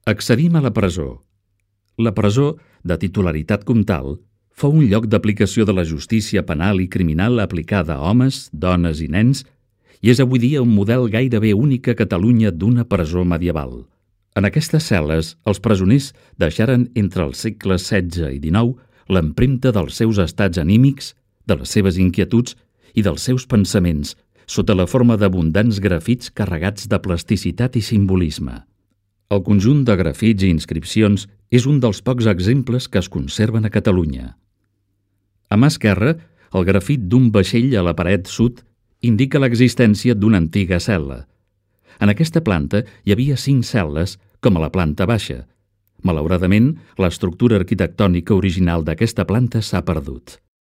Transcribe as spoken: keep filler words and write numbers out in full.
Accedim a la presó. La presó, de titularitat comtal, fou un lloc d'aplicació de la justícia penal i criminal aplicada a homes, dones i nens i és avui dia un model gairebé únic a Catalunya d'una presó medieval. En aquestes cel·les, els presoners deixaren entre els segles setze i dinou l'empremta dels seus estats anímics, de les seves inquietuds i dels seus pensaments, sota la forma d'abundants grafits carregats de plasticitat i simbolisme. El conjunt de grafits i inscripcions és un dels pocs exemples que es conserven a Catalunya. A mà esquerra, el grafit d'un vaixell a la paret sud indica l'existència d'una antiga cel·la. En aquesta planta hi havia cinc cel·les, com a la planta baixa. Malauradament, l'estructura arquitectònica original d'aquesta planta s'ha perdut.